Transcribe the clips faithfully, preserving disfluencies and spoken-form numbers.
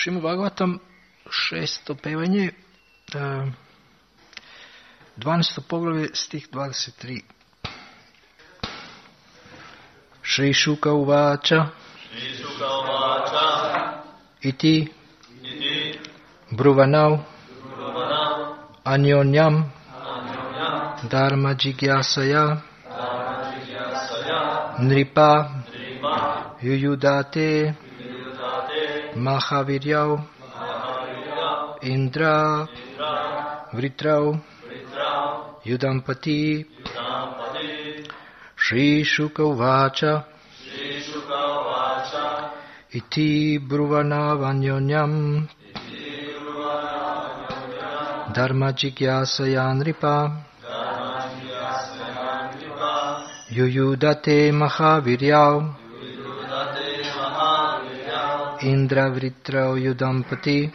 Šrimad Bhagavatam, šesto pevanje, dvanaesto poglavlje, stih dvadeset tri. Šri Šuka uvača iti bruvanav anyonyam dharma jigyasaya nripa yuyudate mahaviryav indra vritrav yudampati. Shri Shuka uvacha iti bruvanav-anyonyam dharma jigyasaya nripa yuyudate mahaviryav indra vritrav yudampati.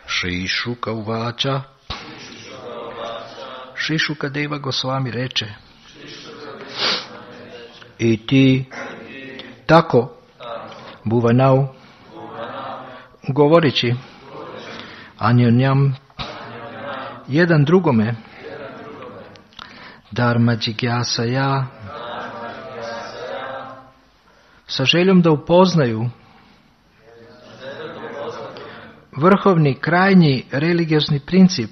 Shri Shuka uvacha. Shri Shukadeva Gosvami reče: I ti tako buvanav govoreći anyonyam jedan drugome dharma jigyasaya sa željom da upoznaju vrhovni, krajnji religiozni princip,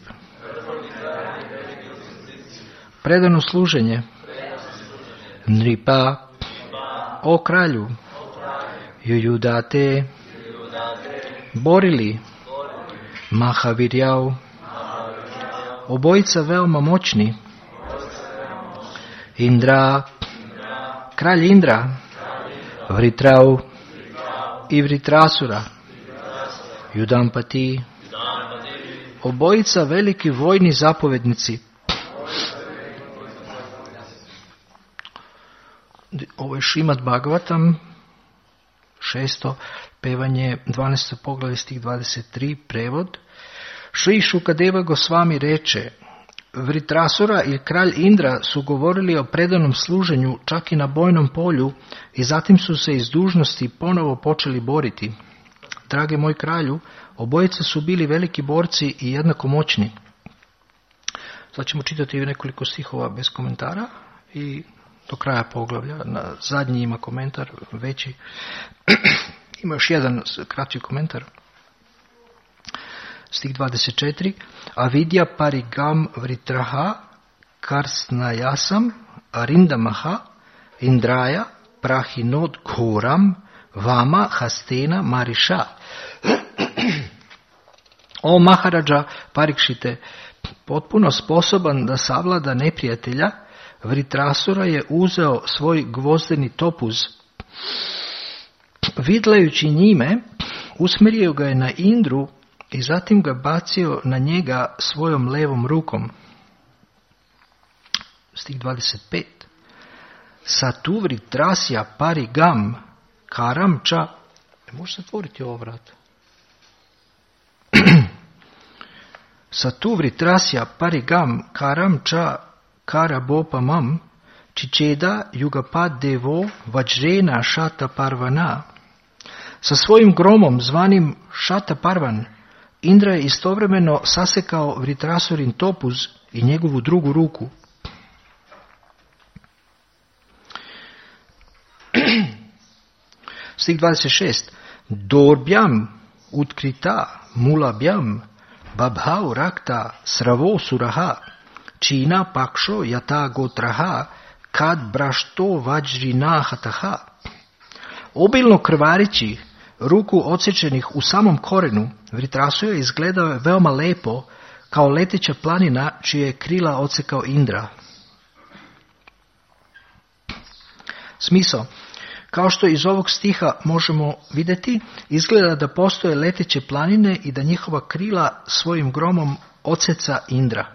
predano služenje, nripa, o kralju, yuyudate, borili, mahaviryav, obojica veoma moćni, Indra, kralj Indra, Vritrav i Vritrasura, Yudampati, obojica veliki vojni zapovednici. Ovo je Šrimad Bhagavatam, šesto pevanje, dvanaesto poglavlje, stih dvadeset tri, prevod. Šri Šukadeva Gosvami reče: Vritrasura i kralj Indra su govorili o predanom služenju čak i na bojnom polju i zatim su se iz dužnosti ponovo počeli boriti. Drage moj kralju, obojica su bili veliki borci i jednako moćni. Sad ćemo čitati nekoliko stihova bez komentara i do kraja poglavlja. Na zadnji ima komentar veći. Ima još jedan kraći komentar. Stih dvadeset četiri. Avidya parigam vritraha karsnayasam arindamaha indraja prahinod ghoram vama hastena marisha. O Maharađa Parikšite, potpuno sposoban da savlada neprijatelja, Vritrasura je uzeo svoj gvozdeni topuz. Vidlajući njime, usmjerio ga je na Indru i zatim ga bacio na njega svojom levom rukom. Stih dvadeset pet. Satu Vritrasya parigam karam ča. Možeš zatvoriti ovo vrat? Satu Vritrasya parigam karam ča karabopamam čičeda yugapad devo vajrena šata parvana. Sa svojim gromom zvanim šata parvan, Indra je istovremeno sasekao Vritrasurin topuz i njegovu drugu ruku. Stih dvadeset šest. Dorbjam utkrita mulabjam babhau rakta sravo suraha čina pakšo yata gotraha kad brašto vajrina hataha. Obilno krvarići ruku odsječenih u samom korenu, Vritrasura izgledao je veoma lepo kao leteća planina čije je krila odsekao Indra. Smisao. Kao što iz ovog stiha možemo vidjeti, izgleda da postoje leteće planine i da njihova krila svojim gromom odseca Indra.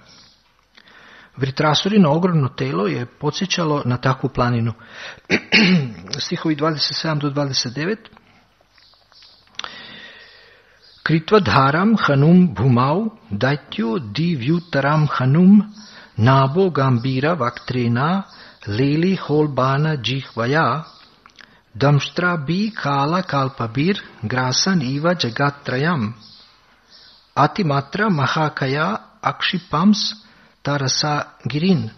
Vritrasurino ogromno telo je podsjećalo na takvu planinu. Stihovi dvadeset sedam do dvadeset devet. Kritva dharam hanum bhumau daityo divyutaram hanum nabo gambira vaktrena leli holbana jihvaya Damshtra bi kala kalpabir grasan iva jagatrayam. Atimatra mahakaya akshipams tarasa girin.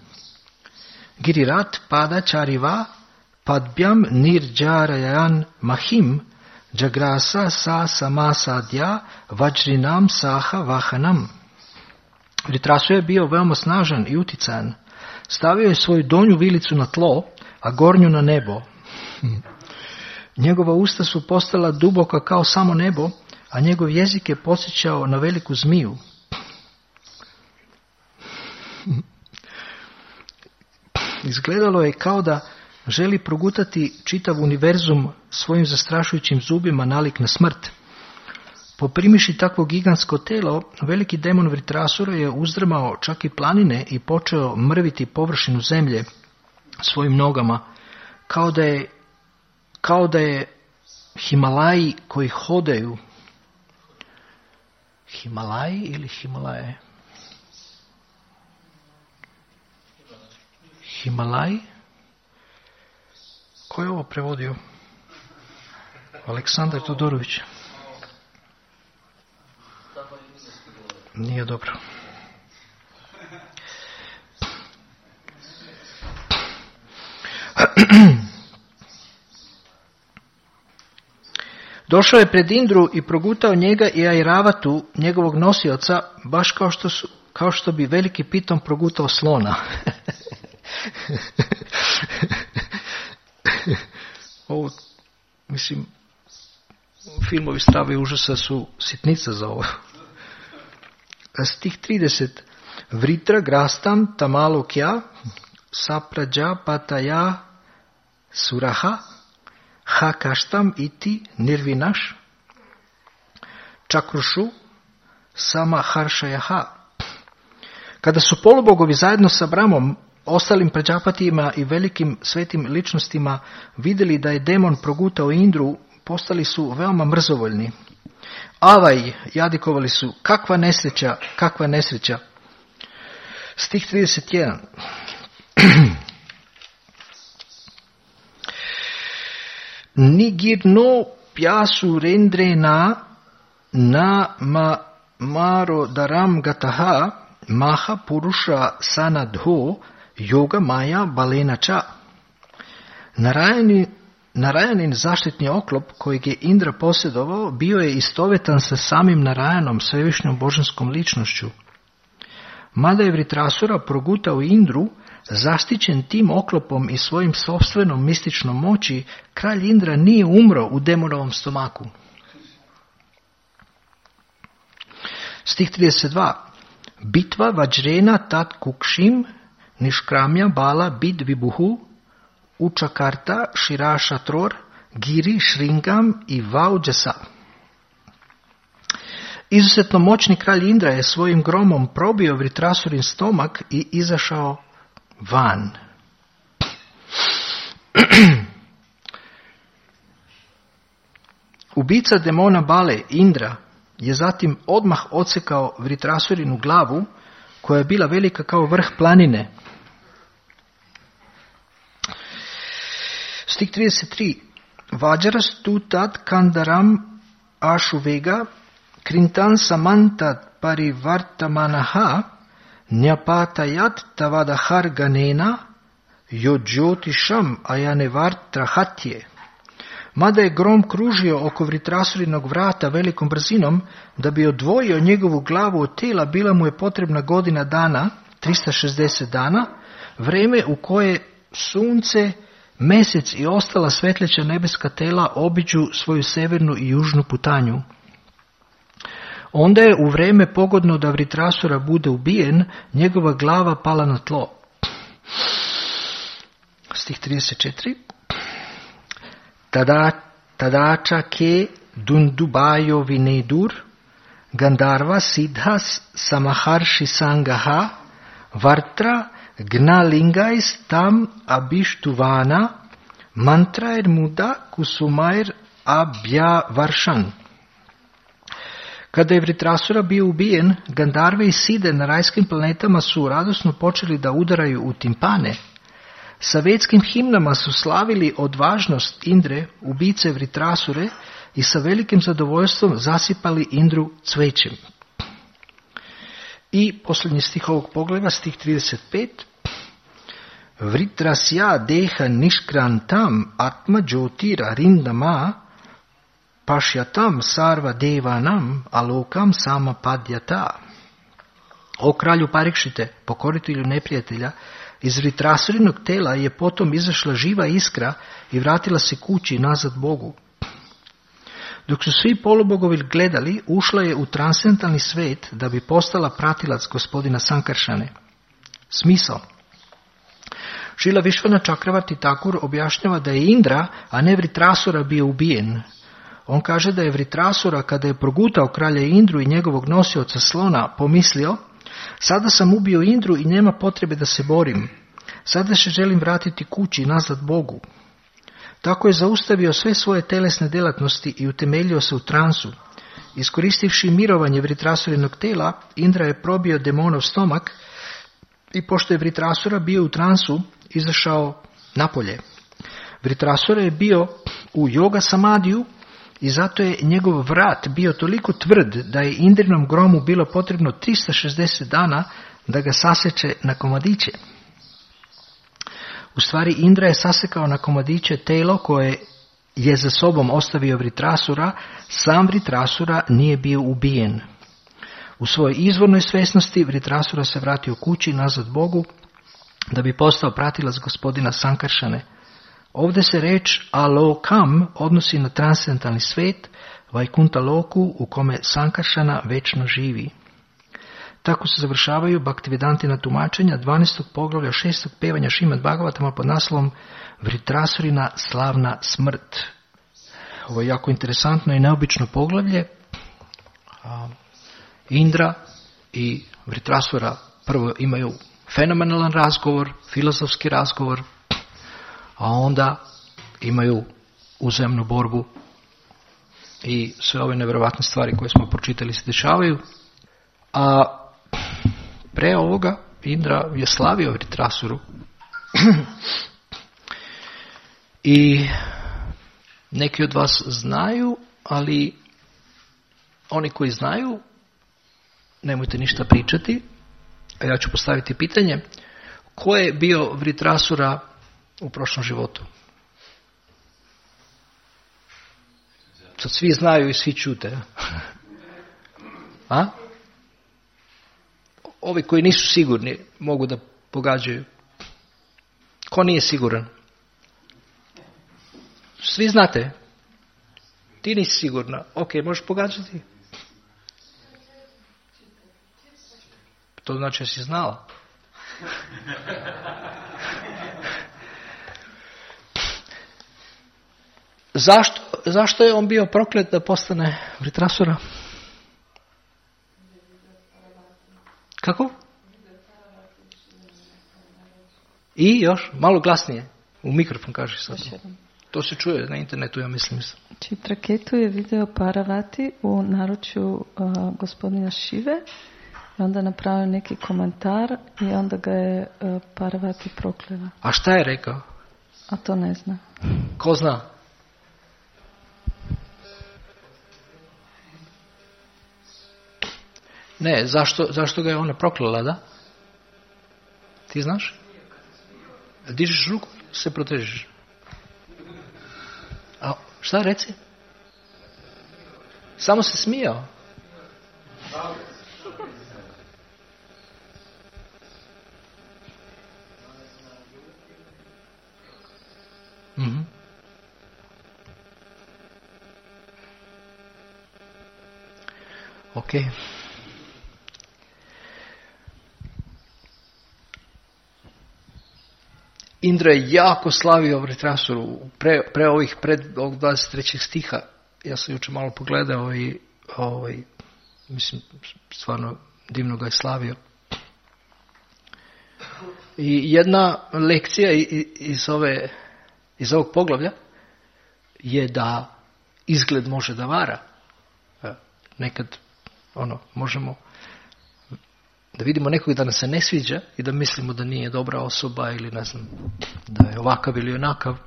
Girirat pada chariva padbyam nirjarayan mahim jagrasa sa samasadya vajrinam saha vahanam. Vritrasura je bio veoma snažan i uticajan. Stavio je svoju donju vilicu na tlo, a gornju na nebo. Njegova usta su postala duboka kao samo nebo, a njegov jezik je podsjećao na veliku zmiju. Izgledalo je kao da želi progutati čitav univerzum svojim zastrašujućim zubima nalik na smrt. Poprimiši takvo gigantsko telo, veliki demon Vritrasura je uzdrmao čak i planine i počeo mrviti površinu zemlje svojim nogama, kao da je, kao da je Himalaji koji hodaju. Himalaji ili Himalaje? Himalaji? Ko je ovo prevodio? Aleksandar Todorović. Nije dobro. Došao je pred Indru i progutao njega i Airavatu, njegovog nosioca, baš kao što, su, kao što bi veliki piton progutao slona. Ovo, mislim, filmovi Strave i užasa su sitnica za ovo. Stih trideset. Vritra grastam tamalokya saprađa pataya suraha hakaštam iti nirvinaš čakrušu samaharšajaha. Kada su polubogovi zajedno sa Bramom, ostalim prađapatijima i velikim svetim ličnostima vidjeli da je demon progutao Indru, postali su veoma mrzovoljni. Avaj, jadikovali su, kakva nesreća, kakva nesreća. Stih trideset jedan. Nigirno pjasu rendrena na ma maro daram gataha maha purusha sanadho yoga maya balenača. Narajani Narajanin zaštitni oklop kojeg je Indra posjedovao bio je istovetan sa samim Narajanom, svevišnjom božanskom ličnošću. Mada je Vritrasura progutao Indru, zaštićen tim oklopom i svojim sopstvenom mističnom moći, kralj Indra nije umro u demonovom stomaku. Stih trideset dva. Bitva vajrena tat kukšim niškramja bala bid vibuhu Učakarta, Širašatror, Giri, Šringam i Vauđasa. Izuzetno moćni kralj Indra je svojim gromom probio Vritrasurin stomak i izašao van. Ubica demona Bale, Indra, je zatim odmah odsekao Vritrasurinu glavu, koja je bila velika kao vrh planine. Stih trideset tri. Vajras tu tad kandaram ašuvega krintan samantat parivartamanaha njapatayat tavadahar ganena yojotisham ayanevartrahatje. Mada je grom kružio oko Vritrasurinog vrata velikom brzinom, da bi odvojio njegovu glavu od tela, bila mu je potrebna godina dana, tristo šezdeset dana, vreme u koje sunce, mesec i ostala svetleća nebeska tela obiđu svoju severnu i južnu putanju. Onda je u vreme pogodno da Vritrasura bude ubijen, njegova glava pala na tlo. Stih trideset četiri. Tada, tadača ke dundubajo vinedur, Gandarva siddhas samaharshi sangaha, vartra gnalingais tam abishtuvana, mantraer muda kusumair abhyavaršan. Kada je Vritrasura bio ubijen, Gandarve i Side na rajskim planetama su radosno počeli da udaraju u timpane. Sa vetskim himnama su slavili odvažnost Indre, ubice Vritrasure, i sa velikim zadovoljstvom zasipali Indru cvećem. I posljednji stih ovog poglavlja, stih trideset pet. Vritrasya deha nishkrantam atma jyotira rindama pašyatam sarva devanam alokam samapadyata. O kralju Parikšite, pokoritelju neprijatelja, iz Vritrasurinog tela je potom izašla živa iskra i vratila se kući nazad Bogu. Dok su svi polubogovi gledali, ušla je u transcendentalni svet da bi postala pratilac gospodina Sankaršane. Smisao. Šrila Višvana Čakravarti Thakur objašnjava da je Indra, a ne Vritrasura, bio ubijen. On kaže da je Vritrasura, kada je progutao kralja Indru i njegovog nosioca slona, pomislio: sada sam ubio Indru i nema potrebe da se borim. Sada se želim vratiti kući nazad Bogu. Tako je zaustavio sve svoje telesne djelatnosti i utemeljio se u transu. Iskoristivši mirovanje Vritrasurinog tela, Indra je probio demonov stomak i pošto je Vritrasura bio u transu, izašao napolje. Vritrasura je bio u yoga samadiju i zato je njegov vrat bio toliko tvrd da je Indrinom gromu bilo potrebno tristo šezdeset dana da ga saseče na komadiće. U stvari Indra je sasekao na komadiće telo koje je za sobom ostavio Vritrasura, sam Vritrasura nije bio ubijen. U svojoj izvornoj svjesnosti Vritrasura se vratio kući nazad Bogu da bi postao pratilac gospodina Sankaršane. Ovdje se reč alokam odnosi na transcendentalni svet, Vajkunta loku u kome Sankaršana večno živi. Tako se završavaju Bhaktivedantina tumačenja dvanaestog poglavlja šestog pevanja Šrimad Bhagavatama pod naslovom Vritrasurina slavna smrt. Ovo je jako interesantno i neobično poglavlje. Indra i Vritrasura prvo imaju fenomenalan razgovor, filozofski razgovor, a onda imaju uzajamnu borbu i sve ove nevjerovatne stvari koje smo pročitali se dešavaju. A pre ovoga Indra je slavio Vritrasuru i neki od vas znaju, ali oni koji znaju nemojte ništa pričati, a ja ću postaviti pitanje: ko je bio Vritrasura u prošlom životu? Sad svi znaju i svi čute. A? Ovi koji nisu sigurni mogu da pogađaju. Ko nije siguran? Svi znate. Ti nisi sigurna. Ok, možeš pogađati. To znači da si znala. Zašto, zašto je on bio proklet da postane Vritrasura? Kako? I još, malo glasnije. U mikrofon kaži sad. To se čuje na internetu, ja mislim. Chitraketu je video Parvati u naručju uh, gospodina Šive i onda napravio neki komentar i onda ga je uh, Parvati proklela. A šta je rekao? A to ne zna. Ko zna? Ne, zašto, zašto ga je ona proklela, da? Ti znaš? Dižeš ruku, se protežeš. A šta reci? Samo se smijao. Mhm. Ok. Indra je jako slavio Vritrasuru pre, pre ovih pred ovog dvadeset trećeg stiha. Ja sam jučer malo pogledao i ovaj, mislim, stvarno divno ga je slavio. I jedna lekcija iz, ove, iz ovog poglavlja je da izgled može da vara. Nekad ono, možemo Da vidimo nekog da nas se ne sviđa i da mislimo da nije dobra osoba ili ne znam, da je ovakav ili onakav.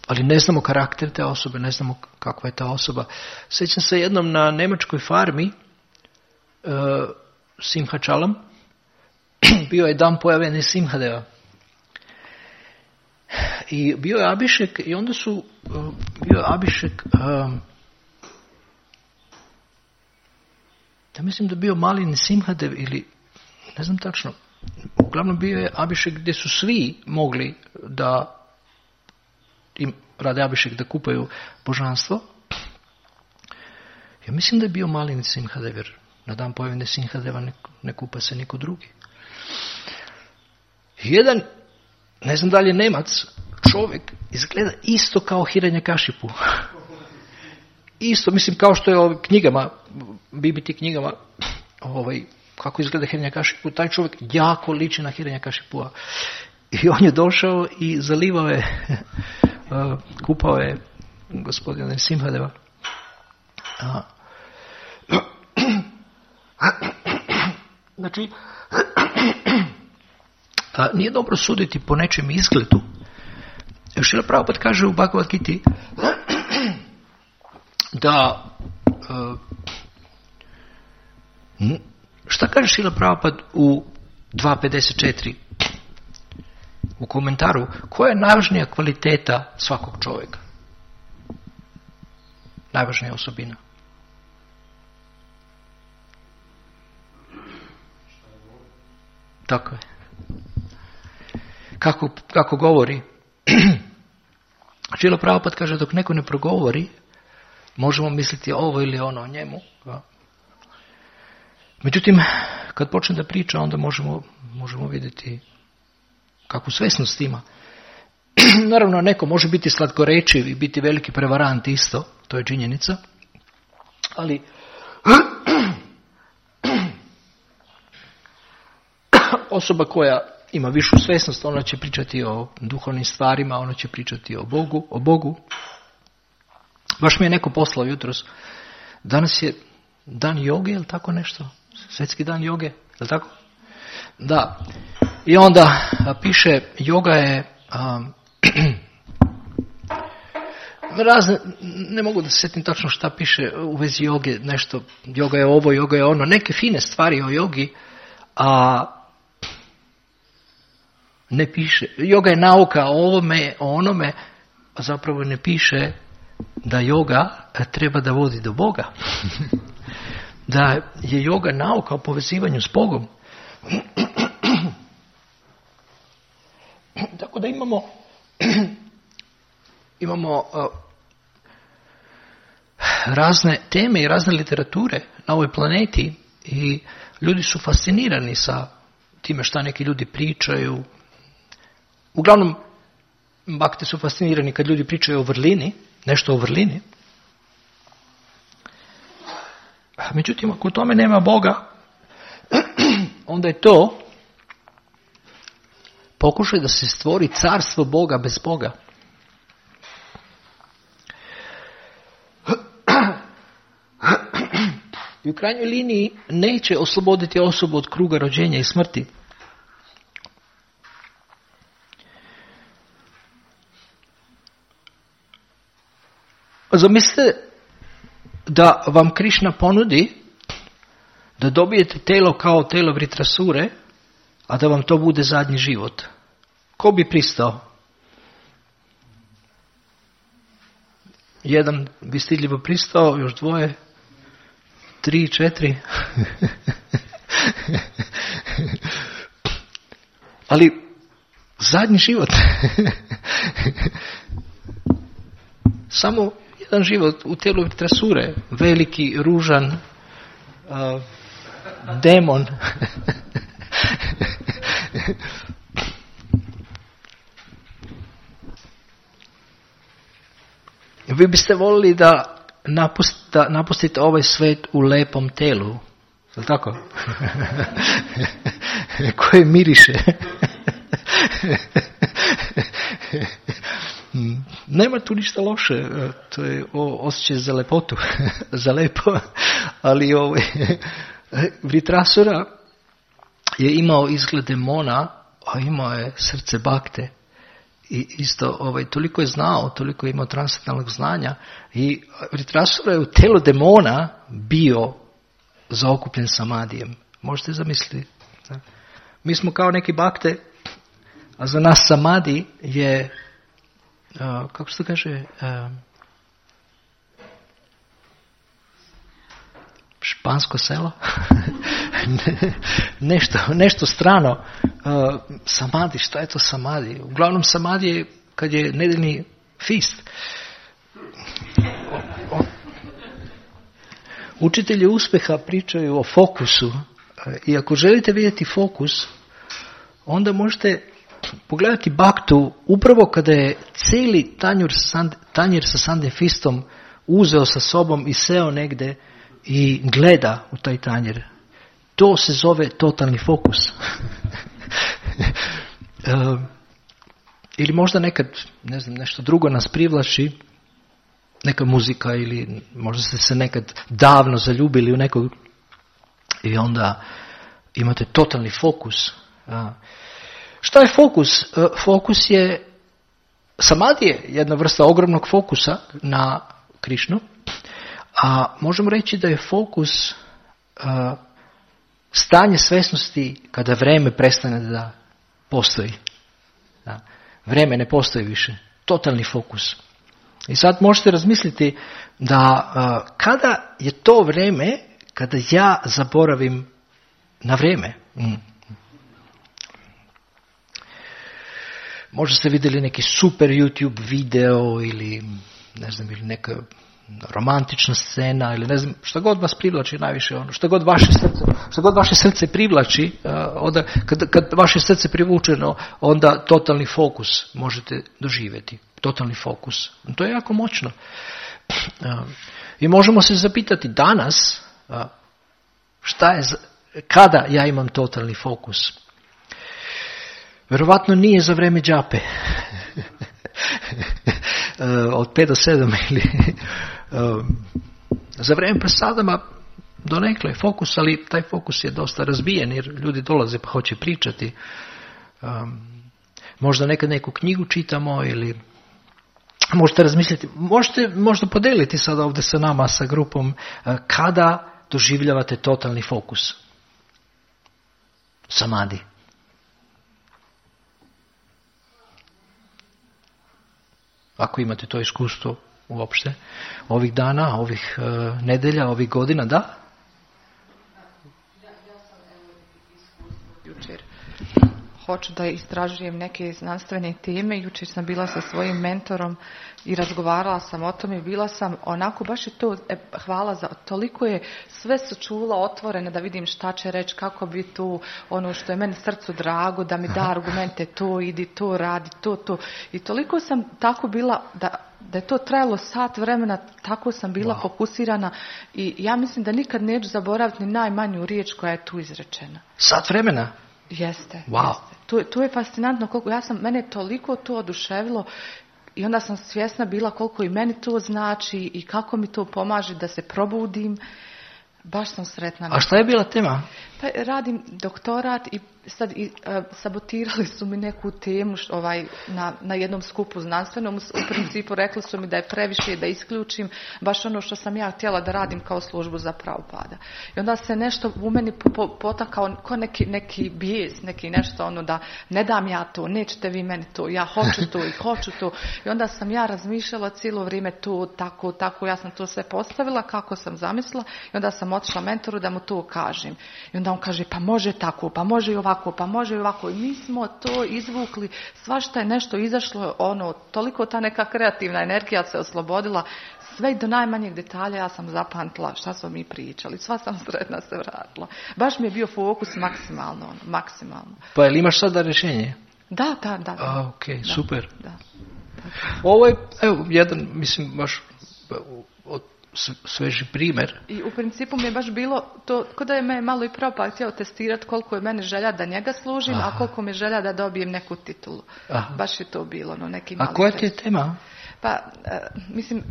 Ali ne znamo karakter te osobe, ne znamo kakva je ta osoba. Sjećam se jednom na nemačkoj farmi, uh, Simha Čalam, bio je dan pojavljeni Simhadeva. I bio je Abišek i onda su, uh, bio je Abišek, um, ja mislim da bio Malin Simhadev ili, ne znam tačno, uglavnom bio je Abišek gdje su svi mogli da im rade Abišek da kupaju božanstvo. Ja mislim da je bio Malin Simhadev, jer na dan pojavljene Simhadeva ne, ne kupa se niko drugi. Jedan, ne znam da li je Nemac, čovjek izgleda isto kao Hiranyakashipu. Isto, mislim, kao što je ovim knjigama, B B T knjigama, ovaj, kako izgleda Hiranyakashipu, taj čovjek jako liči na Hiranyakashipua. I on je došao i zalivao je, kupao je gospodina Simhadeva. Znači, nije dobro suditi po nečem izgledu. Šrila Prabhupada kaže u Bhagavad Giti da šta kaže Šrila Prabhupada u dva pedeset četiri u komentaru, koja je najvažnija kvaliteta svakog čovjeka? Najvažnija osobina. Tako je. Kako, kako govori? Šrila Prabhupada kaže, dok neko ne progovori, možemo misliti ovo ili ono o njemu. Međutim, kad počne da priča, onda možemo, možemo vidjeti kakvu svesnost ima. Naravno, neko može biti slatkorečiv i biti veliki prevarant isto, to je činjenica, ali osoba koja ima višu svesnost, ona će pričati o duhovnim stvarima, ona će pričati o Bogu, o Bogu. Baš mi je neko poslao jutros, danas je dan joge, je li tako nešto? Svjetski dan joge, je li tako? Da. I onda a, piše, joga je um, razne, ne mogu da se sjetim tačno šta piše u vezi joge, nešto, joga je ovo, joga je ono, neke fine stvari o jogi, a ne piše, joga je nauka o ovome, o onome, a zapravo ne piše da joga treba da vodi do Boga. Da je joga nauka o povezivanju s Bogom. Tako da imamo imamo uh, razne teme i razne literature na ovoj planeti i ljudi su fascinirani sa time šta neki ljudi pričaju. Uglavnom, bakte su fascinirani kad ljudi pričaju o vrlini, nešto o vrlini. Međutim, ako u tome nema Boga, onda je to pokušaj da se stvori carstvo Boga bez Boga. I u krajnjoj liniji neće osloboditi osobu od kruga rođenja i smrti. Zamislite da vam Krišna ponudi da dobijete telo kao telo Vritrasure, a da vam to bude zadnji život. Ko bi pristao? Jedan bi stidljivo pristao, još dvoje, tri, četiri. Ali zadnji život. Samo jedan život u tijelu Vritrasure, veliki, ružan, uh, demon. Vi biste volili da, napust, da napustite ovaj svet u lepom telu, je li tako? Koje miriše. Nema tu ništa loše, to je osjećaj za lepotu, za lepo, ali ovaj, Vritrasura je imao izgled demona, a imao je srce bakte. I isto, ovaj, toliko je znao, toliko je imao transcendentalnog znanja i Vritrasura je u telu demona bio zaokupljen samadijem. Možete zamisliti? Mi smo kao neki bakte, a za nas samadi je, uh, kako se to kaže, uh, špansko selo? nešto, nešto strano. Uh, samadi, šta je to samadi? Uglavnom samadi je kad je nedeljni fist. O, o. Učitelji uspjeha pričaju o fokusu i ako želite vidjeti fokus, onda možete pogledati baktu upravo kada je cijeli tanjir, tanjir sa sandem fistom uzeo sa sobom i seo negdje i gleda u taj tanjir. To se zove totalni fokus. uh, ili možda nekad, ne znam, nešto drugo nas privlači, neka muzika ili možda ste se nekad davno zaljubili u nekog i onda imate totalni fokus. Uh, šta je fokus? Uh, fokus je, samadi je jedna vrsta ogromnog fokusa na Krišnu, a možemo reći da je fokus uh, stanje svjesnosti kada vreme prestane da postoji. Da. Vreme ne postoji više. Totalni fokus. I sad možete razmisliti da uh, kada je to vreme kada ja zaboravim na vrijeme. Mm. Možda ste vidjeli neki super YouTube video ili ne znam, ili neka romantična scena ili ne znam, šta god vas privlači najviše, ono, šta god vaše srce, šta god vaše srce privlači, uh, onda kad, kad vaše srce privučeno, onda totalni fokus možete doživjeti. Totalni fokus. To je jako moćno. Uh, I možemo se zapitati danas, uh, šta je, kada ja imam totalni fokus? Vjerovatno nije za vrijeme džape. uh, od pet do sedam ili uh, za vrijeme prasadama donekle fokus, ali taj fokus je dosta razbijen jer ljudi dolaze pa hoće pričati. Um, možda nekad neku knjigu čitamo ili možete razmisliti, možete možda podeliti sada ovdje sa nama, sa grupom, uh, kada doživljavate totalni fokus. Samadi. Ako imate to iskustvo uopšte, ovih dana, ovih uh, nedelja, ovih godina, da? Ja, ja sam evo iskustvo jučer. Hoću da istražujem neke znanstvene teme. Jučer sam bila sa svojim mentorom i razgovarala sam o tome. Bila sam onako, baš je to, e, hvala za, toliko je, sve su čula otvorene da vidim šta će reći, kako bi tu, ono što je meni srcu drago, da mi da argumente, to idi, to radi, to, to. I toliko sam tako bila, da, da je to trajalo sat vremena, tako sam bila wow. fokusirana i ja mislim da nikad neću zaboraviti ni najmanju riječ koja je tu izrečena. Sat vremena? Jeste. Wow. jeste. To, to je fascinantno koliko ja sam, mene je toliko to oduševilo i onda sam svjesna bila koliko i meni to znači i kako mi to pomaže da se probudim. Baš sam sretna. A šta je bila tema? Pa radim doktorat i sad i, uh, sabotirali su mi neku temu š, ovaj, na, na jednom skupu znanstvenom. U principu rekli su mi da je previše da isključim baš ono što sam ja htjela da radim kao službu za Prabhupada. I onda se nešto u meni po, po, potakao ko neki, neki bijes, neki nešto ono da ne dam ja to, nećete vi meni to, ja hoću to i hoću to. I onda sam ja razmišljala cijelo vrijeme to, tako, tako, ja sam to sve postavila kako sam zamislila i onda sam otišla mentoru da mu to kažem. I onda on kaže pa može tako, pa može i ovako, pa može i ovako. I mi smo to izvukli, svašta je nešto izašlo, ono, toliko ta neka kreativna energija se oslobodila, sve do najmanjeg detalja ja sam zapamtila šta smo mi pričali, sva sam sretna se vratila. Baš mi je bio fokus maksimalno, ono, maksimalno. Pa je li imaš sada rješenje? Da, da, da. da. A, ok, da, super. Da. Ovo je, evo, jedan, mislim, baš od sveži primjer. I u principu mi je baš bilo to, kod da je me malo i Prabhupada htio testirati koliko je meni želja da njega služim, aha. a koliko mi je želja da dobijem neku titulu. Aha. Baš je to bilo. No, neki a koja ti je tema? Pa, mislim,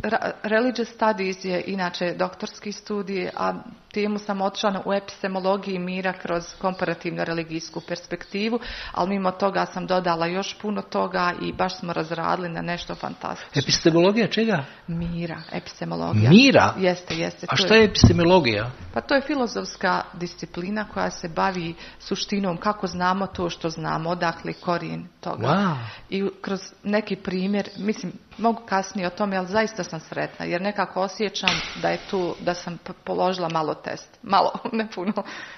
religious studies je inače doktorski studij, a temu sam otišla u epistemologiji mira kroz komparativno religijsku perspektivu, ali mimo toga sam dodala još puno toga i baš smo razradili na nešto fantastično. Epistemologija čega? Mira, epistemologija. Mira? Jeste, jeste. A šta je epistemologija? Pa to je filozofska disciplina koja se bavi suštinom kako znamo to što znamo, odakle korijen toga. Wow. I kroz neki primjer, mislim, mogu kasnije o tome, ali zaista sam sretna, jer nekako osjećam da je tu, da sam položila malo test. Malo, ne puno,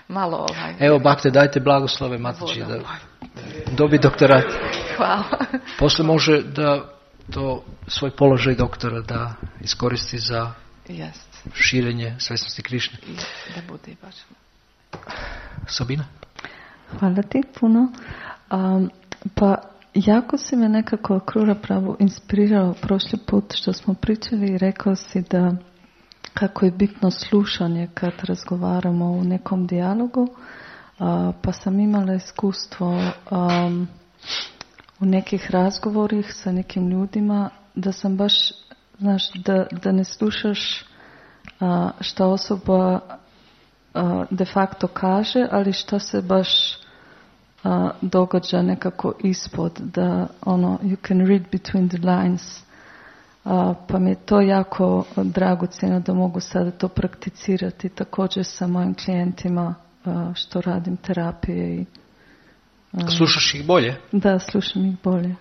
malo ovaj. Evo, bakte, dajte blagoslove Matići da dobi doktorat. Hvala. Posle može da to svoj položaj doktora da iskoristi za Jest. širenje svesnosti Krišne. I da bude baš. Sabina? Hvala ti puno. Um, pa jako si me nekako Krura Prabhu inspirirao prošli put što smo pričali i rekao si da kako je bitno slušanje kad razgovaramo u nekom dijalogu. Uh, pa sam imala iskustvo um, u nekih razgovorih sa nekim ljudima da sam baš, znaš, da, da ne slušaš uh, što osoba uh, de facto kaže, ali što se baš uh, događa nekako ispod, da ono, you can read between the lines. Uh, pa mi je to jako dragocjeno da mogu sada to prakticirati također sa mojim klijentima uh, što radim terapije i slušaš ih bolje? Da, slušam ih bolje.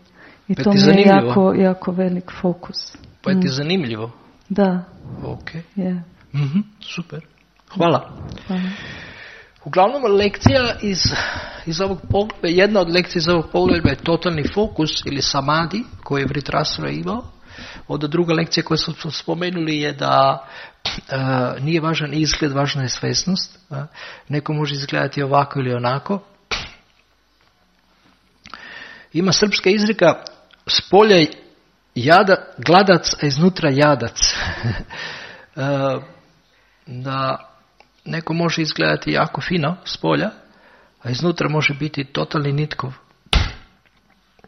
I pa to mi je jako, jako velik fokus. Pa je mm. ti zanimljivo? Da. Ok. Yeah. Mm-hmm, super. Hvala. Hvala. Uglavnom, lekcija iz, iz ovog pogleda, jedna od lekcija iz ovog pogleda je totalni fokus ili samadi koji je Vritrasura imao. Onda druga lekcija koju smo spomenuli je da uh, nije važan izgled, važna je svesnost. Uh, neko može izgledati ovako ili onako. Ima srpska izreka s polja jada, gladac, a iznutra jadac. Da neko može izgledati jako fino s polja, a iznutra može biti totalni nitkov.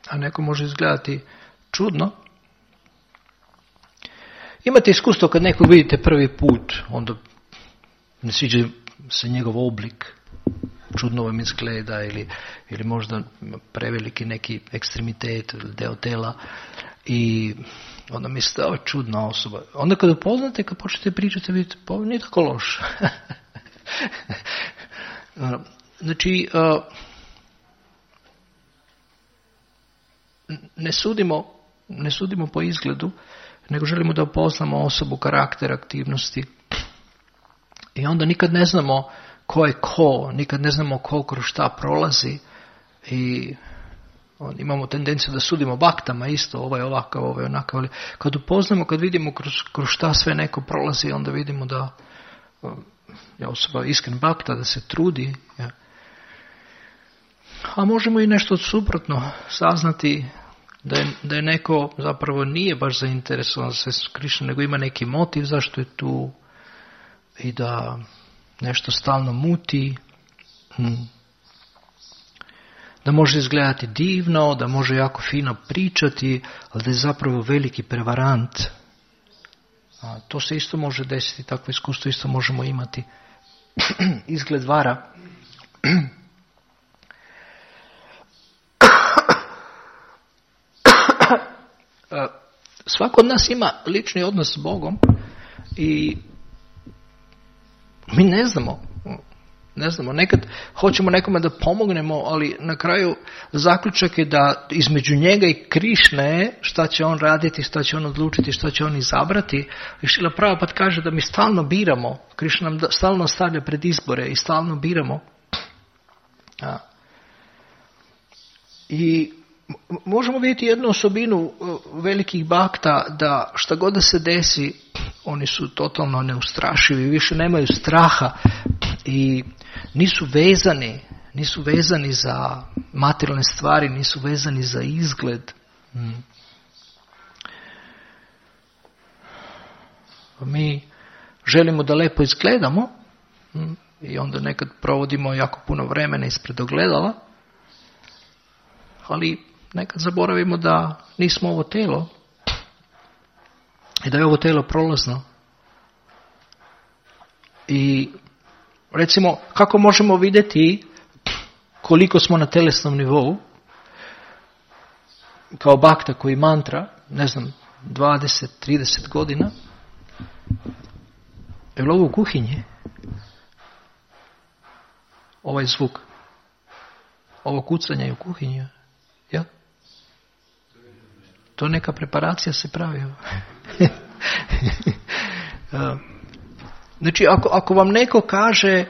A neko može izgledati čudno. Imate iskustvo kad nekog vidite prvi put, onda ne sviđa se njegov oblik, čudno vam izgleda ili, ili možda preveliki neki ekstremitet ili deo tela i onda mislite, ovo je čudna osoba. Onda kad upoznate, kad počnete pričati, vidite, pa ovo nije tako loš. Znači, ne sudimo, ne sudimo po izgledu, nego želimo da upoznamo osobu, karakter, aktivnosti. I onda nikad ne znamo ko je ko, nikad ne znamo ko kroz šta prolazi i onda imamo tendenciju da sudimo baktama isto, ovo je ovakav, ovo je onakav, ali kad upoznamo, kad vidimo kroz, kroz šta sve neko prolazi, onda vidimo da je osoba iskren bakta, da se trudi. Ja. A možemo i nešto suprotno saznati da je, da je neko zapravo nije baš zainteresovan za svesnost Krišne, nego ima neki motiv zašto je tu i da nešto stalno muti, hmm. da može izgledati divno, da može jako fino pričati, ali da je zapravo veliki prevarant. A to se isto može desiti, takvo iskustvo isto možemo imati. Izgled vara. Svako od nas ima lični odnos s Bogom i mi ne znamo, ne znamo, nekad hoćemo nekome da pomognemo, ali na kraju zaključak je da između njega i Krišne šta će on raditi, šta će on odlučiti, šta će on izabrati. I Šrila Prabhupada kaže da mi stalno biramo, Krišna nam stalno stavlja pred izbore i stalno biramo. A. I možemo vidjeti jednu osobinu velikih bakta, da šta god da se desi, oni su totalno neustrašivi, više nemaju straha i nisu vezani, nisu vezani za materijalne stvari, nisu vezani za izgled. Hmm. Mi želimo da lepo izgledamo hmm, i onda nekad provodimo jako puno vremena ispred ogledala, ali nekad zaboravimo da nismo ovo telo i da je ovo telo prolazno. I recimo, kako možemo vidjeti koliko smo na telesnom nivou, kao bakta koji mantra, ne znam, dvadeset trideset godina, je li ovo u kuhinji? Ovaj zvuk. Ovo kucanje je u kuhinji. Ja? To neka preparacija se pravi. Znači, ako, ako vam neko kaže,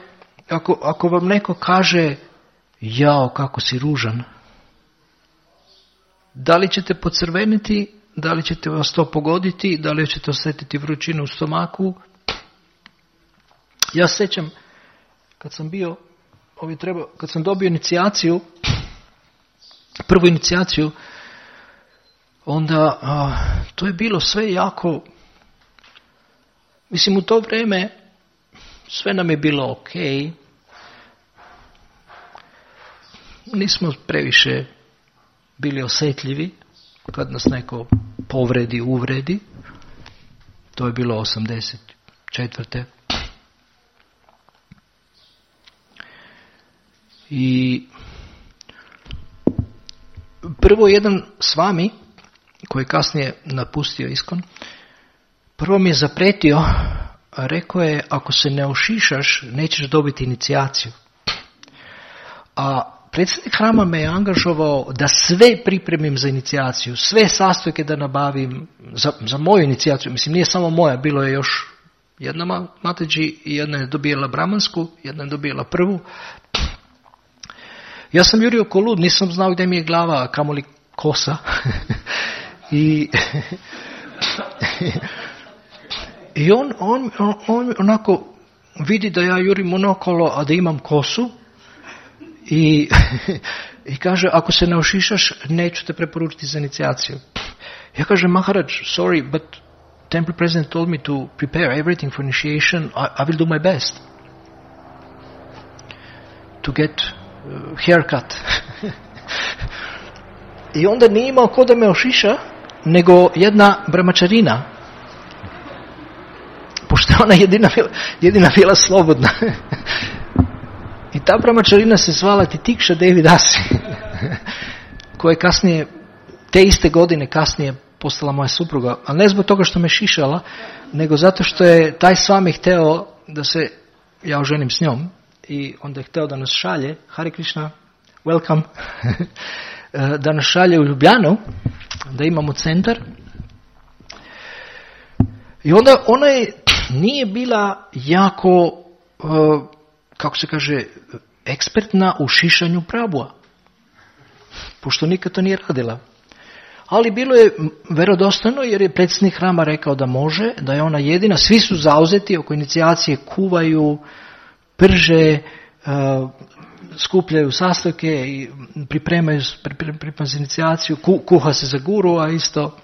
ako, ako vam neko kaže, jao, kako si ružan, da li ćete pocrveniti, da li ćete vas to pogoditi, da li ćete osjetiti vrućinu u stomaku? Ja sjećam, kad sam bio, ovi treba, kad sam dobio inicijaciju, prvu inicijaciju, onda a, to je bilo sve jako, mislim u to vrijeme sve nam je bilo ok, nismo previše bili osjetljivi kad nas neko povredi, uvredi, to je bilo osamdeset četvrte. I prvo jedan s vami, koji je kasnije napustio Iskon, prvo mi je zapretio, a rekao je, ako se ne ošišaš, nećeš dobiti inicijaciju. A predsjednik hrama me je angažovao da sve pripremim za inicijaciju, sve sastojke da nabavim za, za moju inicijaciju. Mislim, nije samo moja, bilo je još jedna Mataji, jedna je dobijela brahmansku, jedna je dobijela prvu. Ja sam jurio ko lud, nisam znao gdje mi je glava, kamoli kosa. I, i on, on, on, on onako vidi da ja jurim onokolo, a da imam kosu. I, i kaže, ako se ne ošišaš, neću te preporučiti za inicijaciju. Ja kažem, Maharaj, sorry, but temple president told me to prepare everything for initiation. I, I will do my best to get uh, haircut. I onda nije imao ko da me ošiša, nego jedna brahmačarina. Pošto ona jedina, jedina bila slobodna. I ta brahmačarina se zvala Titikša Devi Dasi, koja je kasnije, te iste godine kasnije postala moja supruga, ali ne zbog toga što me šišala, nego zato što je taj Swami hteo da se ja oženim s njom i onda je hteo da nas šalje, Hare Krishna, welcome, da nas šalje u Ljubljanu, da imamo centar. I onda ona je, nije bila jako, kako se kaže, ekspertna u šišanju Prabhua, pošto nikad to nije radila. Ali bilo je verodostojno jer je predsjednik hrama rekao da može, da je ona jedina, svi su zauzeti oko inicijacije, kuvaju, prže, uh, skupljaju sastojke i pripremaju pripremaju za inicijaciju, ku, kuha se za guru, a isto.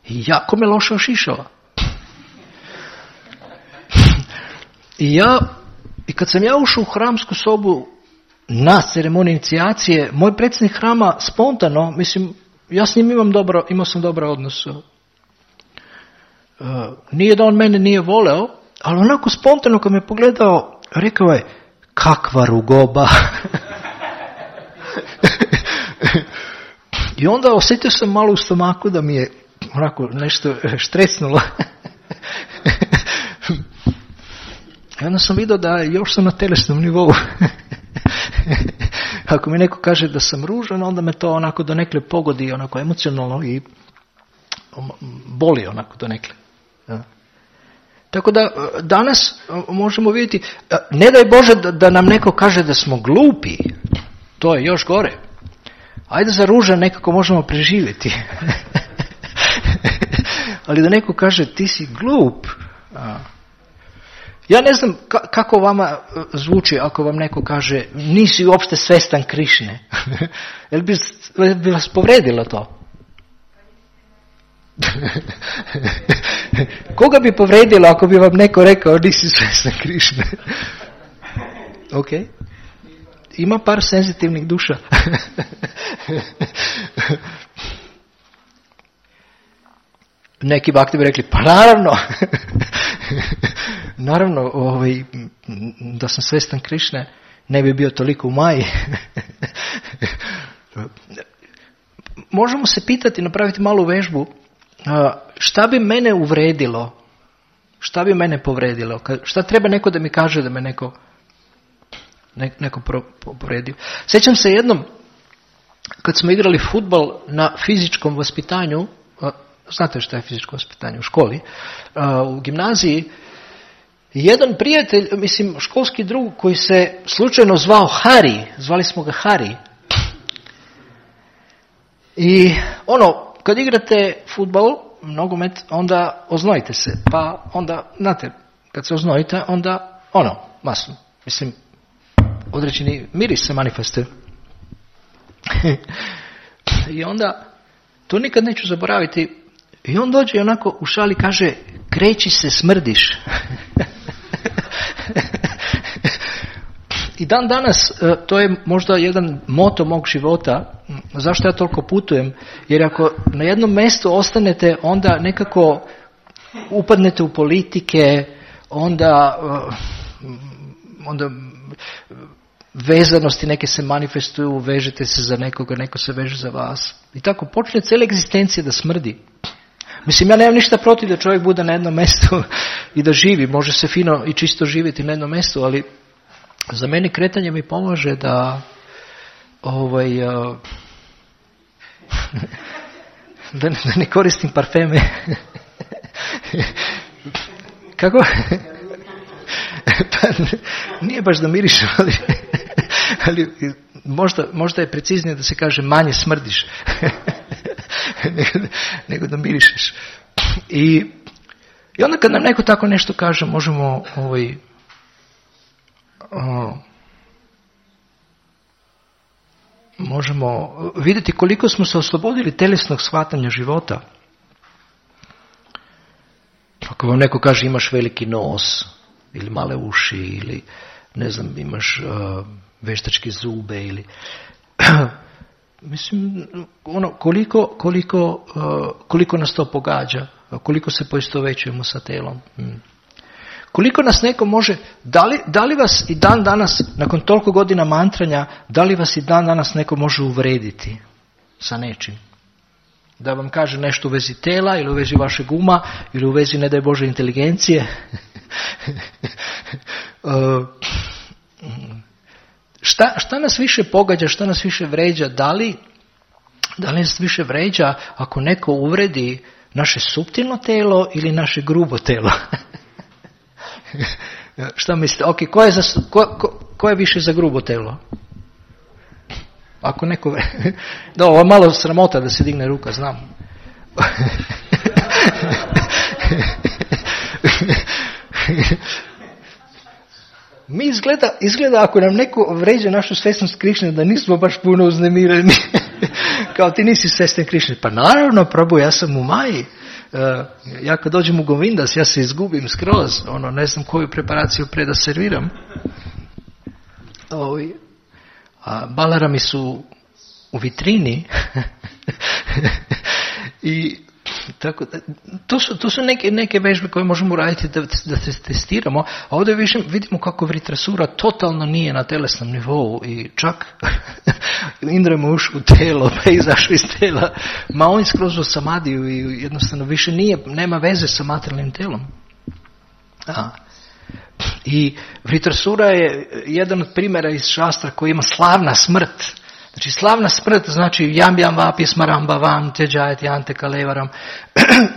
I jako me loše ošišala. I ja, i kad sam ja ušao u hramsku sobu na ceremoniju inicijacije, moj predsjednik hrama spontano, mislim, ja s njim imam dobro, imao sam dobar odnos. Uh, nije da on mene nije voleo, ali onako spontano kad me pogledao, rekao je, kakva rugoba. I onda osjetio sam malo u stomaku da mi je onako nešto štresnulo. I onda sam vidio da još sam na telesnom nivou. Ako mi neko kaže da sam ružan, onda me to onako donekle pogodi, onako emocionalno i boli onako donekle. Ja. Tako da danas možemo vidjeti, ne daj Bože da, da nam neko kaže da smo glupi, to je još gore. Ajde za ružan nekako možemo preživjeti. Ali da neko kaže ti si glup. A. Ja ne znam kako vama zvuči ako vam neko kaže nisi uopšte svestan Krišne. Jel bi, bi vas povredilo to? Koga bi povredilo ako bi vam neko rekao nisi svestan Krišne? Ok. Ima par senzitivnih duša. neki bakti bi rekli, pa naravno, naravno, ovaj, da sam svestan Krišne, ne bi bio toliko u Maji. Možemo se pitati, napraviti malu vežbu, šta bi mene uvredilo, šta bi mene povredilo, šta treba neko da mi kaže da me neko, ne, neko povredio. Sjećam se jednom, kad smo igrali fudbal na fizičkom vaspitanju, znate šta je fizičko vaspitanje u školi, u gimnaziji, jedan prijatelj, mislim školski drug koji se slučajno zvao Hari, zvali smo ga Hari. I ono, kad igrate fudbal, nogomet, onda oznojite se. Pa onda, znate, kad se oznojite, onda ono, masno. Mislim, određeni miris se manifestuje. I onda, to nikad neću zaboraviti, i on dođe i onako u šali kaže, kreći se, smrdiš. I dan danas, to je možda jedan moto mog života, zašto ja toliko putujem, jer ako na jednom mjestu ostanete, onda nekako upadnete u politike, onda, onda vezanosti neke se manifestuju, vežete se za nekoga, neko se veže za vas. I tako počne cijela egzistencija da smrdi. Mislim, ja nemam ništa protiv da čovjek bude na jednom mjestu i da živi, može se fino i čisto živjeti na jednom mjestu, ali za mene kretanje mi pomaže da ovaj, uh, da, da ne koristim parfeme. Kako? Pa, nije baš da mirišem, ali, ali možda, možda je preciznije da se kaže manje smrdiš nego, nego da mirišeš. I, i onda kad nam neko tako nešto kaže, možemo ovaj, o, možemo vidjeti koliko smo se oslobodili telesnog shvatanja života. Ako vam neko kaže imaš veliki nos ili male uši ili ne znam imaš uh, veštačke zube ili mislim ono koliko koliko uh, koliko nas to pogađa, koliko se poistovećujemo sa telom. Hmm. Koliko nas neko može, da li, da li vas i dan danas, nakon toliko godina mantranja, da li vas i dan danas neko može uvrediti sa nečim? Da vam kaže nešto u vezi tela ili u vezi vašeg uma ili u vezi, ne daj Bože, inteligencije. šta, šta nas više pogađa, šta nas više vređa? Da li, da li nas više vređa ako neko uvredi naše suptilno telo ili naše grubo telo? Šta mislite? Ok, ko je, za, ko, ko, ko je više za grubo telo? Ako neko... Da, ovo je malo sramota da se digne ruka, znam. Mi izgleda, izgleda ako nam neko vređa našu svesnost Krišne, da nismo baš puno uznemireni. Kao ti nisi svestan Krišne. Pa naravno, Prabhu, ja sam u Maji. Uh, ja kad dođem u Govindas, ja se izgubim skroz, ono, ne znam koju preparaciju pre da serviram. Ovi, a balarami su u vitrini i tako, to su, to su neke, neke vežbe koje možemo raditi da, da se testiramo, a ovdje više vidimo kako Vritrasura totalno nije na telesnom nivou i čak Indra mu ušao u telo, pa je izašao iz tela, ma on je skroz u samadiju i jednostavno više nije, nema veze sa materijalnim telom. A. I Vritrasura je jedan od primjera iz šastra koji ima slavna smrt. Znači slavna smrt znači jam jam vapi smaramba vam te džajati ante kalevaram.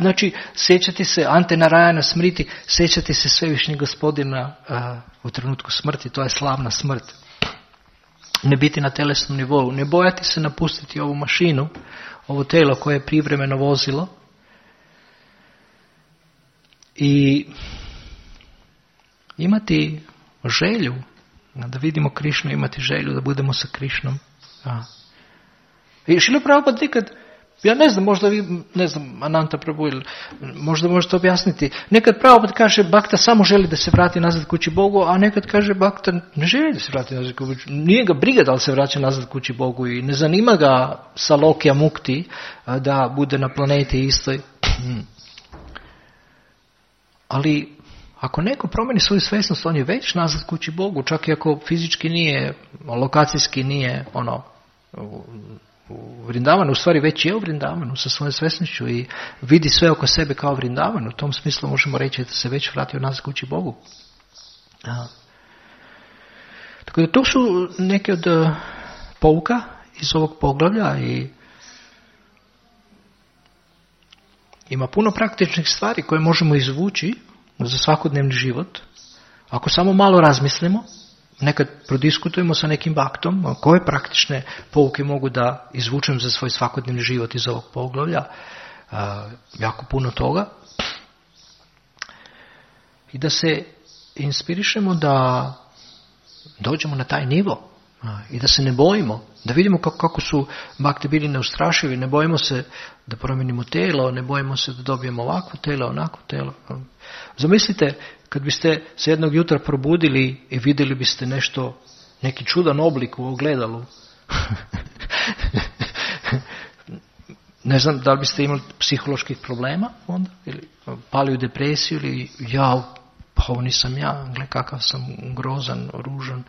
Znači sjećati se ante narajana smriti, sjećati se svevišnjeg Gospodina uh, u trenutku smrti, to je slavna smrt. Ne biti na telesnom nivou, ne bojati se napustiti ovu mašinu, ovo telo koje je privremeno vozilo. I imati želju da vidimo Krišnu, imati želju da budemo sa Krišnom. A. I Šrila Prabhupada nikad, ja ne znam, možda vi, ne znam, Ananta Prabhu, možda možete objasniti, nekad Prabhupada kaže Bhakta samo želi da se vrati nazad kući Bogu, a nekad kaže Bhakta ne želi da se vrati nazad kući Bogu, nije ga briga da li se vraća nazad kući Bogu i ne zanima ga Salokya Mukti da bude na planeti istoj. ali ako neko promeni svoju svjesnost, on je već nazad kući Bogu, čak i ako fizički nije, lokacijski nije ono, u, u Vrindavanu, u stvari već je u Vrindavanu sa svojom svjesnošću i vidi sve oko sebe kao Vrindavanu. U tom smislu možemo reći da se već vratio nazad kući Bogu. A. Tako da to su neke od uh, pouka iz ovog poglavlja i ima puno praktičnih stvari koje možemo izvući za svakodnevni život. Ako samo malo razmislimo, nekad prodiskutujemo sa nekim baktom, koje praktične pouke mogu da izvučem za svoj svakodnevni život iz ovog poglavlja, uh, jako puno toga. I da se inspirišemo da dođemo na taj nivo i da se ne bojimo, da vidimo kako, kako su bakte bili neustrašivi, ne bojimo se da promijenimo telo, ne bojimo se da dobijemo ovakvo telo, onakvo telo. Zamislite, kad biste se jednog jutra probudili i vidjeli biste nešto, neki čudan oblik u ogledalu. Ne znam da li biste imali psiholoških problema onda, ili pali u depresiju, ili ja, pa ovo nisam ja, gle kakav sam grozan, ružan.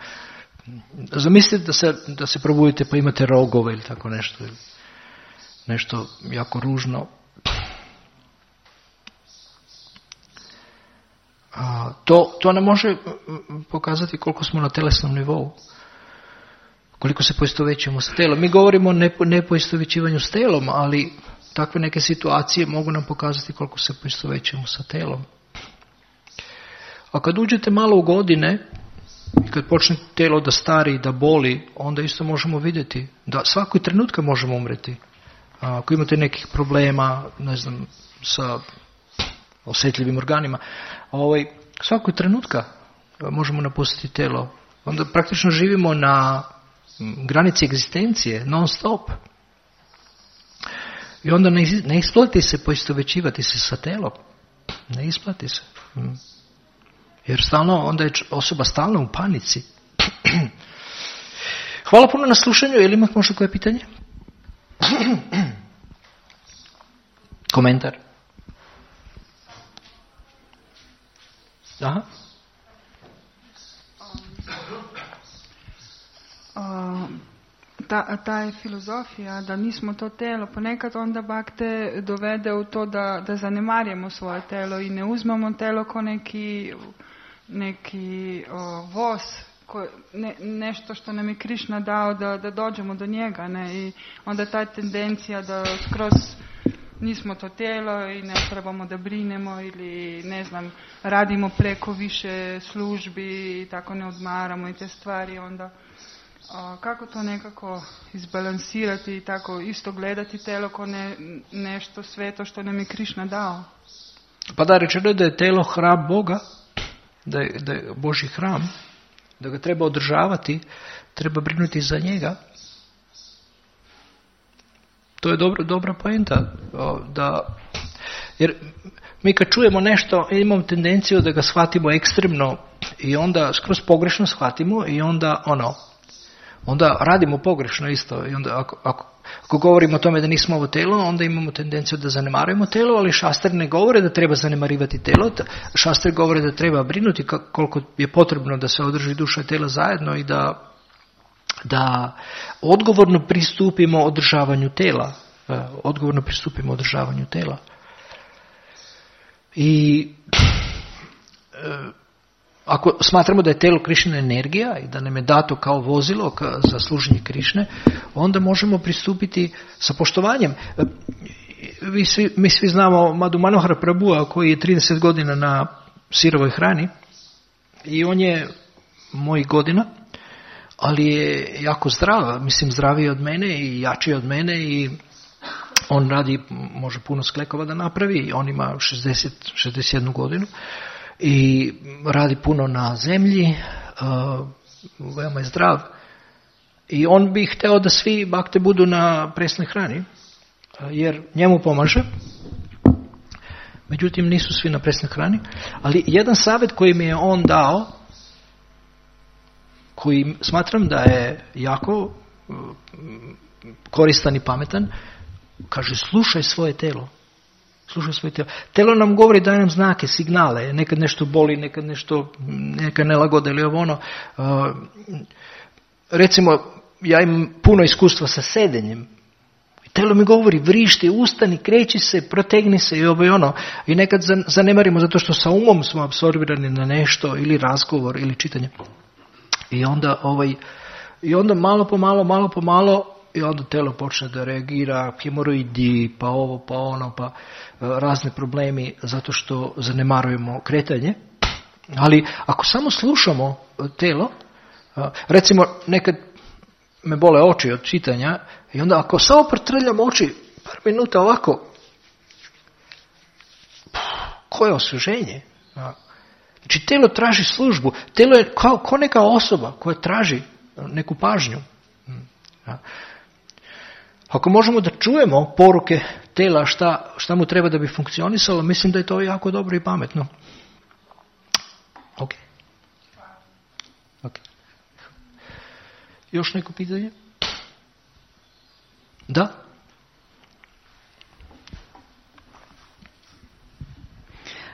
Zamislite da se, da se probudite pa imate rogove ili tako nešto, ili nešto jako ružno. A, to, to nam može pokazati koliko smo na telesnom nivou, koliko se poistovjećujemo s telom. Mi govorimo o nepoistovjećivanju s telom, ali takve neke situacije mogu nam pokazati koliko se poistovjećujemo sa telom. A kad uđete malo u godine i kad počne telo da stari i da boli, onda isto možemo vidjeti da svakoj trenutka možemo umreti. A ako imate nekih problema, ne znam, sa osjetljivim organima, ovaj, svakoj trenutka možemo napustiti telo. Onda praktično živimo na granici egzistencije, non stop. I onda ne, ne isplati se poistovjećivati se sa telom. Ne isplati se. Jer stalno, onda je osoba stalno u panici. Hvala puno na slušanju. Je li imate možda koje pitanje? Komentar? Aha. Um, ta, ta je filozofija da nismo to telo, ponekad onda bakte dovede u to da, da zanemarjamo svoje telo i ne uzmemo telo ko neki, neki o, voz, ko, ne, nešto što nam je Krišna dao da, da dođemo do njega. Ne? I onda ta tendencija da skroz nismo to tijelo i ne trebamo da brinemo ili ne znam, radimo preko više službi i tako ne odmaramo i te stvari, onda a, kako to nekako izbalansirati i tako isto gledati telo kao ne, nešto sveto što nam je Krišna dao? Pa da, rečeno je da je telo hram Boga, da je, da je Božji hram, da ga treba održavati, treba brinuti za njega. To je dobro, dobra poenta. Da, jer mi kad čujemo nešto, imamo tendenciju da ga shvatimo ekstremno i onda skroz pogrešno shvatimo i onda ono, onda radimo pogrešno isto. I onda ako, ako, ako govorimo o tome da nismo ovo telo, onda imamo tendenciju da zanemarujemo telo, ali šastre ne govore da treba zanemarivati telo. Šastre govore da treba brinuti koliko je potrebno da se održi duša i telo zajedno i da da odgovorno pristupimo održavanju tela. Odgovorno pristupimo održavanju tela. I e, ako smatramo da je telo Krišina energija i da nam je dato kao vozilo ka, za služenje Krišne, onda možemo pristupiti sa poštovanjem. E, vi svi, mi svi znamo Madhu Manohara Prabhua koji je trideset godina na sirovoj hrani i on je mojih godina, ali je jako zdrav, mislim zdraviji od mene i jači od mene i on radi, može puno sklekova da napravi, on ima šezdeset, šezdeset jednu godinu i radi puno na zemlji, uh, veoma je zdrav i on bi hteo da svi bakte budu na presnoj hrani, jer njemu pomaže. Međutim, nisu svi na presnoj hrani, ali jedan savjet koji mi je on dao, koji smatram da je jako koristan i pametan, kaže, slušaj svoje telo. Slušaj svoje tijelo. Telo nam govori, daje nam znake, signale. Nekad nešto boli, nekad nešto, neka nelagoda ili ovo ono. Uh, recimo, ja imam puno iskustva sa sedenjem. Telo mi govori, vrišti, ustani, kreći se, protegni se i ovo i ono. I nekad zanemarimo zato što sa umom smo apsorbirani na nešto, ili razgovor, ili čitanje. I onda, ovaj, i onda malo po malo, malo po malo, i onda telo počne da reagira, hemoroidi, pa ovo, pa ono, pa razne problemi, zato što zanemarujemo kretanje. Ali ako samo slušamo telo, recimo nekad me bole oči od čitanja, i onda ako samo protrljam oči par minuta ovako, koje osvježenje? Znači, telo traži službu. Telo je kao, kao neka osoba koja traži neku pažnju. Ako možemo da čujemo poruke tela šta, šta mu treba da bi funkcionisalo, mislim da je to jako dobro i pametno. Ok. Ok. Još neko pitanje? Da?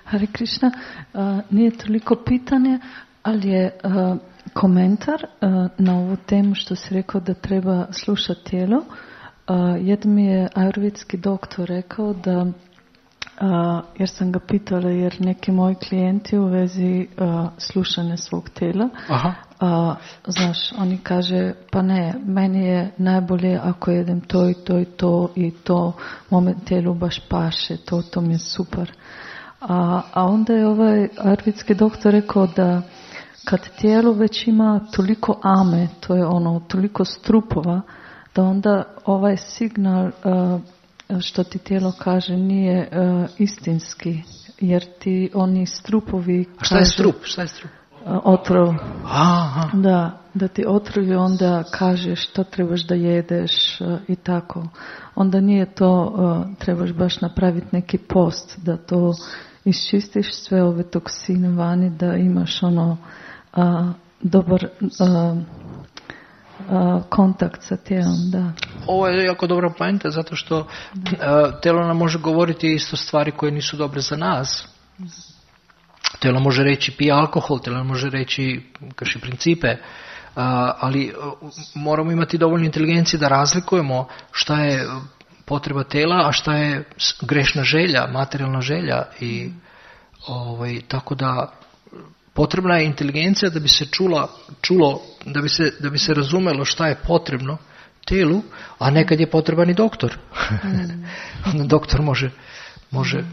Hare Krishna, uh, nije toliko pitanje, ali je uh, komentar uh, na ovu temu što si rekao da treba slušati tijelo. Uh, jedan mi je ajurvedski doktor rekao da, uh, jer sam ga pitala, jer neki moji klijenti u vezi uh, slušanja svog tijela, Aha. Uh, znaš, oni kaže, pa ne, meni je najbolje ako jedem to i to i to i to, mome tijelu baš paše, to, to mi je super. A, a onda je ovaj ajurvedski doktor rekao da kad tijelo već ima toliko ame, to je ono, toliko strupova, da onda ovaj signal uh, što ti tijelo kaže nije uh, istinski, jer ti oni strupovi... A šta je strup? Šta je strup? Uh, otrov. Aha. Da, da ti otrovi onda kaže što trebaš da jedeš uh, i tako. Onda nije to, uh, trebaš baš napraviti neki post da to iščistiš sve ove toksine vani, da imaš ono uh, dobar uh, uh, kontakt sa tijelom, da. Ovo je jako dobra poenta, zato što uh, telo nam može govoriti isto stvari koje nisu dobre za nas. Telo može reći pije alkohol, telo može reći krši principe, uh, ali uh, moramo imati dovoljno inteligencije da razlikujemo šta je potreba tela, a šta je grešna želja, materijalna želja. I ovaj, tako da potrebna je inteligencija da bi se čula, čulo, da bi se, da bi se razumelo šta je potrebno telu, a nekad je potreban i doktor. Mm. Onda doktor može, može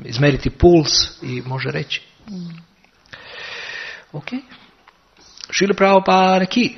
izmeriti puls i može reći. Mm. Ok. Šrila Prabhupada ki.